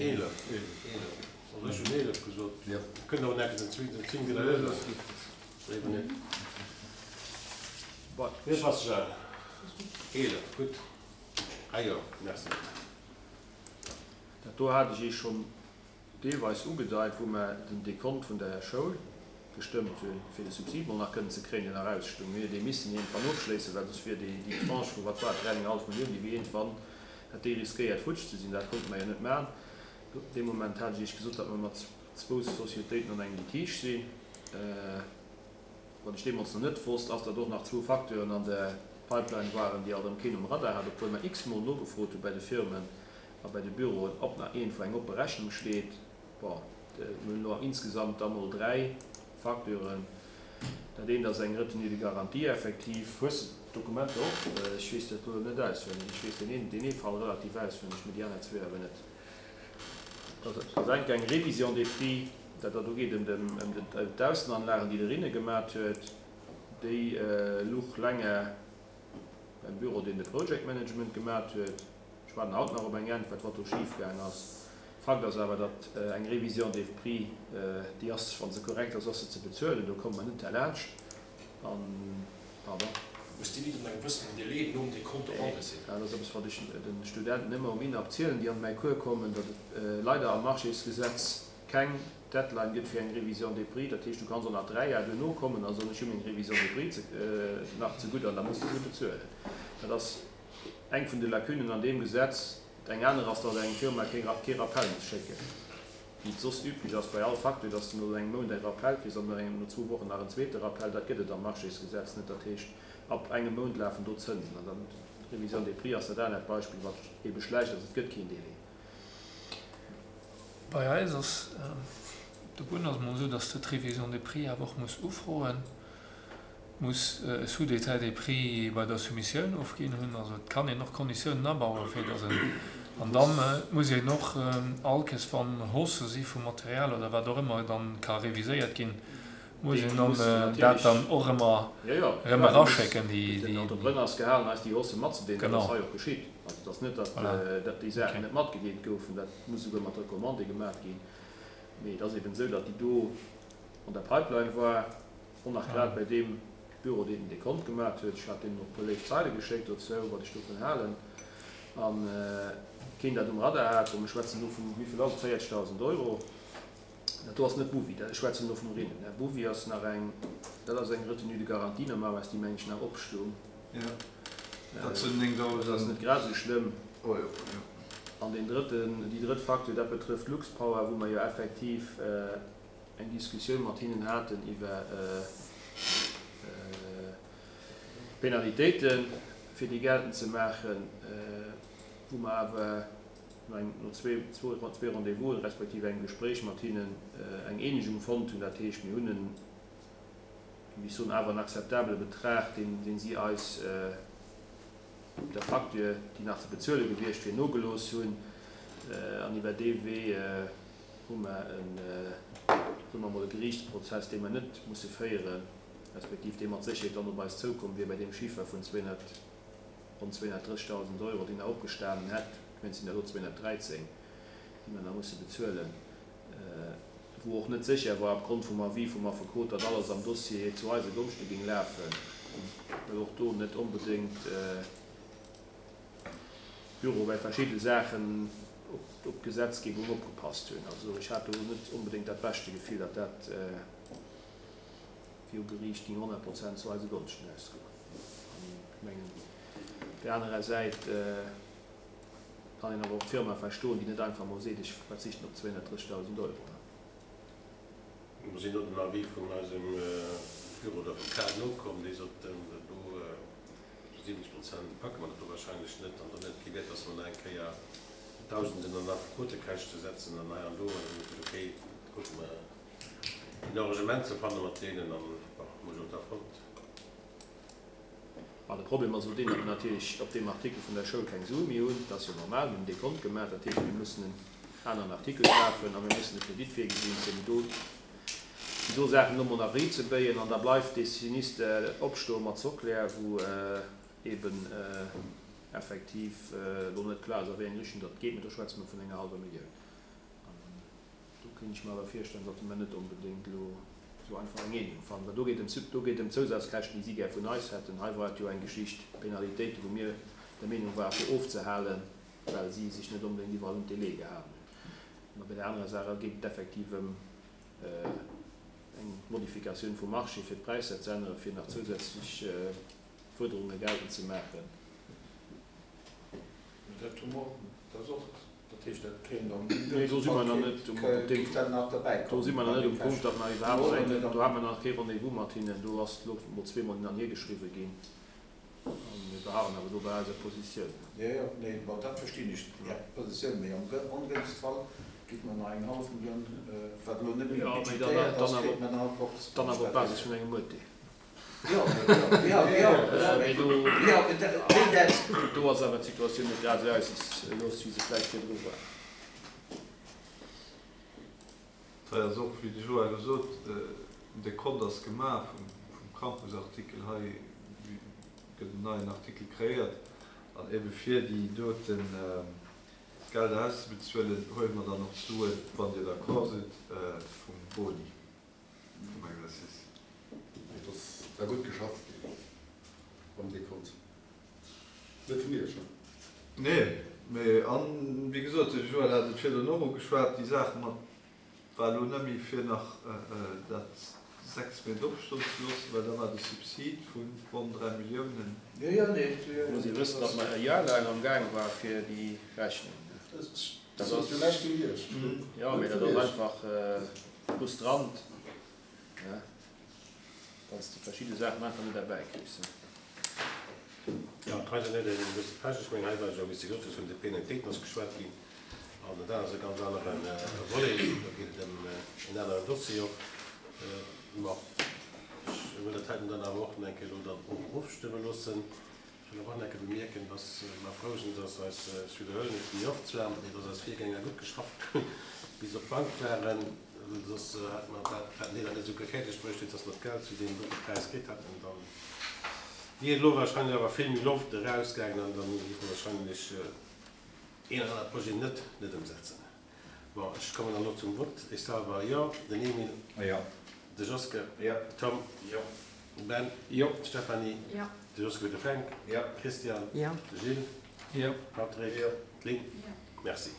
11. Also ech hunn 11 gesot. Kënnt awer nach den 10 widderhuelen. Léiwer net. Wéi passt sech an? 11, gutt. Ah jo, merci. Dat do hat ech Iech schonn deelweis ugedeit, wou mer den Dekont vun der Schoul gestëmmt hunn, fir de Subsid mol nach kënnen ze kréien, deen nach ausstung. Mir hunn dee missen iergendwann ofschléissen, well soss wier déi Tranche vu, wat war et, 3,5 Millioun, déi wier iergendwann, hätt déi riskéiert futsch ze sinn. Dat konnte mer jo net maachen. Dee Moment hat ech Iech gesot, datt mer mat zwou Societéiten an engem Litige sinn. Wat ech deemools nach net wosst, ass, datt och nach zwou Facteuren an der Pipeline waren, déi alt erëm keen um Radar hat, obwuel mer x-mol nogefrot hu bei de Firmen a bei de Büroen, ob nach iergendwou eng oppe Rechnung steet. Bon, mir hunn elo insgesamt da mol 3 Facturen. Dat eent ass eng Retenue de garantie effektiv. Hues de d'Dokumenter och? Ech weess dat elo net auswenneg. Ech weess deen een, deen ee Fall relativ auswenneg, mee déi aner zwee awer net. Dat ass enk eng Révision des prix, dat do geet ëm d'Aussenanlagen, déi de Rinne gemat huet. Déi luch länger beim Büro, deen de Project Management gemat huet. Ech waarden haut nach op eng Äntwert, wat do schif gaang ass. Fakt ass awer, datt eng Révision des prix, déi ass, wa se korrekt ass, ass se ze bezuelen. Do komme mer net derlaanscht. An, pardon. Muss déi net an engem gewëssenen Délai nom Dekont erange sinn? Dat ass eppes, wat ech de Studenten ëmmer um INAP zielen, déi an mäi Cours kommen, datt et leider am Marchésgesetz keng Deadline gëtt fir eng Révision des prix. Dat heescht, du kanns och nach 3 Jar duerno kommen a soen, ech hu meng Révision des prix nach zegutt an da muss de se bezuelen. Dat ass Eng vun de Lacunen an deem Gesetz. Eng aner ass, datt eng Firma kee Rappel muss schécken, wéi et soss üblech ass bei all Facture, datt s de no engem Mount e Rappel kriss an no zwou Wochen nach en zweete Rappel. Dat gëtt et am Marchésgesetz net. Dat heescht, ab engem Mount lafen do d'Zënsen. An dann d'Révision des prix ass dat anert Beispill, wat ebe schlecht ass, et gëtt keen Délai. Bei eis ass op der Bunn ass et mol esou, datt s de d'Révision des prix awer och muss ufroen. muss e Sous-détail des prix bei der Soumissioun ofginn hunn. Also et kann een och Konditiounen abauen, fir datt en, an da muss een och all Kéiers, wann Haussë si vum Material oder wat och ëmmer dann ka reviséiert ginn, muss een dann dat dann och ëmmer erëm eraschécken. Déi. Den Entrepreneur ass gehalen, eis déi Haussë matzedeelen. Dat ass hei och geschitt. Also et ass net, datt déi Saachen net matgedeelt goufen. Dat muss esouguer mat Recommandé gemaach ginn. Mee et ass eben esou, datt déi do an der Pipeline war. Och nach grad bei deem Büro, deen den Dekont gemat huet. Ech hat deenen och e puer léif Zeile geschéckt dozou, wat ech dovun halen. A keen dat um Radar hat. Bon, mir schwätzen do vun, wéi vill ass et, 40.000 Euro. Dat do ass net Bouvi, dat, ech schwätzen elo vum Rinnen, ne. Bouvi ass nach eng, dat ass eng Retenue de garantie normalerweis, déi, meng ech, nach opstung. Jo, dat sinn 9.000. Dat ass net grad esou schlëmm. Euro, jo. An deen drëtten, déi drëtt Facture, dat betrëfft Luxpower, wou mer jo effektiv, eng Diskussioun mat hinnen haten iwwer Penalitéiten, fir déi geltend ze maachen, wou mer awer no zwee Rendez-vousen, respektiv engem Gespréich mat hinnen eng Eenegung fonnt hunn. Dat heescht, mir hunn en, wéi ech soen, awer en akzeptabele Betrag, dee si eis op der Facture, déi nach ze bezuele gewiescht wier, nogelooss hunn. An iwwer dee Wee hu mer en, soe mer emol, e Geriichtsprozess, dee mer net musse féieren, respektiv dee mat Sécherheet dann op eis zoukomm wier bei deem Chiffer vun 200, ronn 230.000 Euro, deen nach opgestanen hätt, ech mengen, et sinn der elo 213, déi mer nach musse bezuelen, wou och net sécher war opgrond vum Avis vum Affekot, datt alles am Dossier zu eise Gonschte géing lafen, well och do net onbedéngt Büro bei verschidde Saachen op d'Gesetzgebung opgepasst hunn. Also ech hat do net onbedéngt dat beschte Gefill, datt dat viru Geriicht géing 100 Prozent zu eise Gonschten ausgoen. An ech mengen, op där anerer Säit kann een awer och d'Firma verstoen, déi net einfach emol seet, ech verzichten op 230.000 Euro. Mer sinn no dem Avis vun eisem Büro d'Avocat nokomm, dee sot, dat do zu 70 Prozent packe mer dat do wahrscheinlech net an dann huet et kee Wäert, dass mer nach eng Kéier Dausenden an Affekotekäschte setzen an hei an do. An dann hu mer gesot, okay, da kucke mer een Arrangement ze fanne mat deenen an, bon, hu mer och da fonnt. Mä de Problem ass elo deen, datt mer natierlech op deem Artikel vun der Schoul keng Sue méi hunn. Dat ass jo normal, mir hunn dee Kont gemaach. Dat heescht, mir mussen en aneren Artikel kafen a mir mussen e Kredit virgesinn, fir déi do, déi do Saachen elo mol nach riitzebéien. An da bleift dee Sinister opstoe mat Soclair, wou eeben effektiv elo net kloer ass, a wéi eng Richtung datt geet. Mä do schwätze mer vun enger hallwer Millioun. Do kéint ech mer awer virstellen, datt mer net onbedéngt elo esou einfach eng Eenegung fannen, well do geet ëm, do geet ëm Zousazkäschten, déi si gär vun eis hätten. Hei war et jo eng Geschicht, Penalitéiten, wou mir der Meenung ware fir ofzehalen, well si sech net onbedéngt iwwerall un d'Délaië gehalen hunn. Mä bei der anerer Saach geet et effektiv ëm eng Modifikatioun vum Marché, fir d'Präisser ze änneren, fir nach zousätzlech Fuerderunge geltend ze maachen. Dat hu mer, dat ass och, dat heescht, dat kéim dann. Nee, do si mer nach net um, op deem, do si mer nach net um Punkt, datt mer iwwerhaapt eng, do hate mer nach kee Rendez-vous mat hinnen. Do ass elo mol zweemol hin an hier geschriwwen ginn a mir beharren awer do bei eiser Positioun. Jo, jo, nee, bon, dat verstinn ech, Är Positioun, mee am ongënschtste Fall kritt mer nach eng hallef Millioun, wat elo net méi budgetéiert ass, kritt mer nach op. Dann awer op Basis vun engem Urteel. Do ass awer d'Situatioun net grad esou aussichtslos, wéi se vläicht virdru war. Hei ass och, wéi de Joël elo sot, den Dekont ass gemaach vum Campus-Artikel. Hei gëtt en neien Artikel kreéiert an ebe fir déi doten Gelder auszebezuelen, huele mer dann och d'Suen, wann Dir d'accord sidd, vum Boni. Vum Exercice. Et ass da gutt geschafft ginn am Dekont. Net vun Iech, ne? Nee, mee, an, wéi gesot, de Joël hat et virdrun och ugeschwat, déi Saach mat war elo net méi fir nach dat 6 Méint opstoen ze loossen, well da war de Subsid vu ronn 3 Milliounen. Jo, jo, nee. Muss ee wëssen, datt mer e Jar laang am Gaang war fir déi Rechnung. Dat ass jo näischt géint Iech. Jo, mee dat ass einfach frustrant, wann s de verschidde Saachen einfach net erbäi kriss. Jo, hei sinn net e bësse Pech. Ech mengen, hei war jo, wéi s de gesot hues, vun de Penalitéiten ass geschwat ginn. An dat ass e ganz anere Volet. Do geet et ëm en aneren Dossier och. Ma ech wëll dat heiten dann awer och nach eng Kéier elo dann och ofstëmme loossen. Ech wëll awer och nach eng Kéier bemierken, dass mer frou sinn, dass eis, ech widderhuelen et méi oft zwar, mee dass eis Virgänger gutt geschafft hunn, bis se op d'Bank waren. Soss hätte mer dat, hätten déi dat net esou fäerdeg bruecht, dass mer d'Geld zu deem gudde Präis kritt hätten. Dann wier elo wahrscheinlech awer vill méi Loft erausgaangen an dann géife mer wahrscheinlech een oder anere Projet net net ëmsetzen. Bon, ech kommen dann elo zum Vott. Ech selwer, jo. Den Emile. Jo. De Joske. Jo. Tom. Jo. Ben. Jo. D'Stéphanie. Jo. De Joske fir de Fränk. Jo. Christian. Jo. De Gilles. Jo. Patrick. Jo. D'Lynn. Jo. Merci.